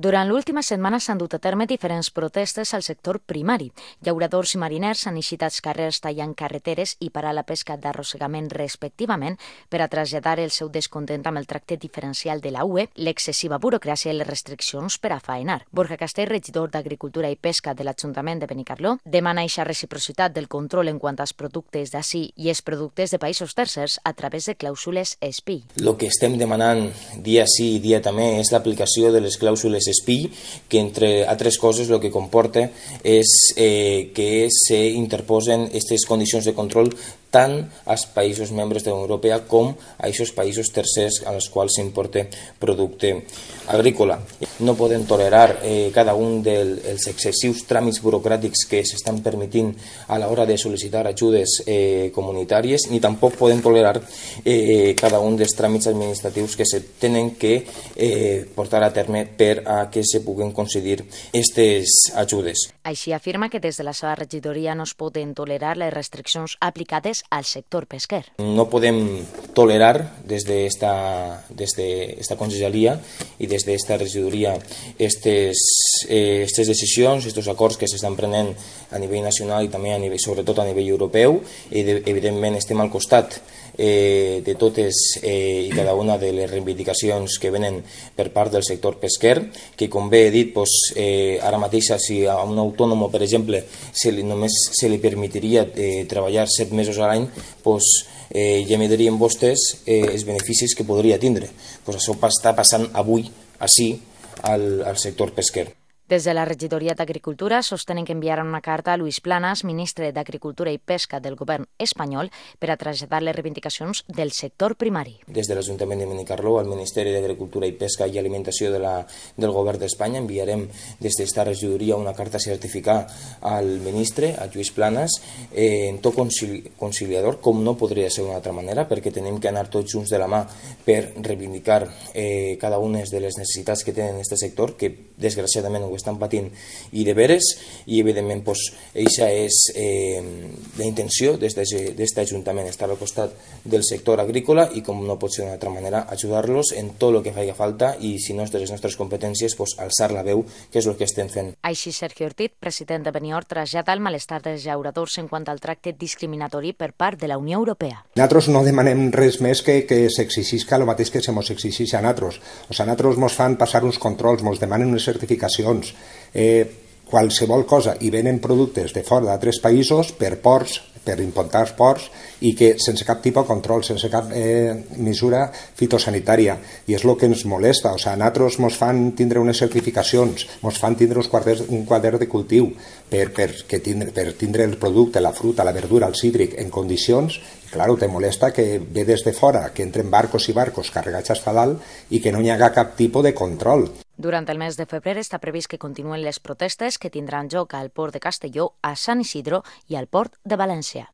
Durant l'última setmana s'han dut a terme diferents protestes al sector primari. Llauradors i mariners han eixit als carrers tallant carreteres i parar la pesca d'arrossegament respectivament per a traslladar el seu descontent amb el tracte diferencial de la UE, l'excessiva burocràcia i les restriccions per a faenar. Borja Castell, regidor d'Agricultura i Pesca de l'Ajuntament de Benicarló, demana eixa reciprocitat del control en quant als productes d'ací i els productes de països tercers a través de clàusules SPI. El que estem demanant dia sí i dia també és l'aplicació de les clàusules SPI, que entre altres coses el que comporta és que s'interposen aquestes condicions de control tant als països membres de la Unió Europea com a aquests països tercers als quals s'importa producte agrícola. No podem tolerar cada un dels excessius tràmits burocràtics que s'estan permitint a l'hora de sol·licitar ajudes comunitàries, ni tampoc podem tolerar cada un dels tràmits administratius que se tenen que portar a terme per a que se puguen concedir aquestes ajudes. Així afirma que des de la seva regidoria no es poden tolerar les restriccions aplicades al sector pesquer. No podem tolerar des d'esta conselleria i des d'esta regidoria aquestes decisions, aquests acords que s'estan prenent a nivell nacional i també sobretot a nivell europeu. Evidentment estem al costat de totes i cada una de les reivindicacions que venen per part del sector pesquer, que com bé he dit, ara mateix si a un autònom, per exemple, només se li permetiria treballar 7 mesos a l'any, ja mirarien vostès els beneficis que podria tindre. Això està passant avui, així, al sector pesquer. Des de la regidoria d'Agricultura sostenen que enviaran una carta a Luis Planas, ministre d'Agricultura i Pesca del govern espanyol, per a traslladar les reivindicacions del sector primari. Des de l'Ajuntament de Benicarló, al Ministeri d'Agricultura i Pesca i Alimentació del govern d'Espanya, enviarem des d'esta regidoria una carta a certificar al ministre, a Lluís Planas, en to conciliador, com no podria ser d'una altra manera, perquè tenim que anar tots junts de la mà per reivindicar cada una de les necessitats que tenen aquest sector, que desgraciadament ho estan patint i de veres, i evidentment eixa és la intenció d'aquest Ajuntament, estar al costat del sector agrícola i, com no pot ser d'una altra manera, ajudar-los en tot el que faci falta i, si no és de les nostres competències, alçar la veu, que és el que estem fent. Així, Sergio Ortiz, president de Benior, trasllada el malestar dels llauradors en quant al tracte discriminatori per part de la Unió Europea. Nosaltres no demanem res més que s'exigisca el mateix que se mos exigeix a nosaltres. A nosaltres mos fan passar uns controls, mos demanen unes certificacions, qualsevol cosa, i venen productes de fora d'altres països per ports, per importar ports, i que sense cap tipus de control, sense cap mesura fitosanitària, i és el que ens molesta. A nosaltres ens fan tindre unes certificacions, ens fan tindre un quadern de cultiu per tindre el producte, la fruita, la verdura, el cítric en condicions. Claro, te molesta que ve des de fora, que entren barcos i barcos carregats fins a dalt i que no hi haga cap tipus de control. Durant el mes de febrer està previst que continuen les protestes que tindran lloc al port de Castelló, a Sant Isidro i al port de València.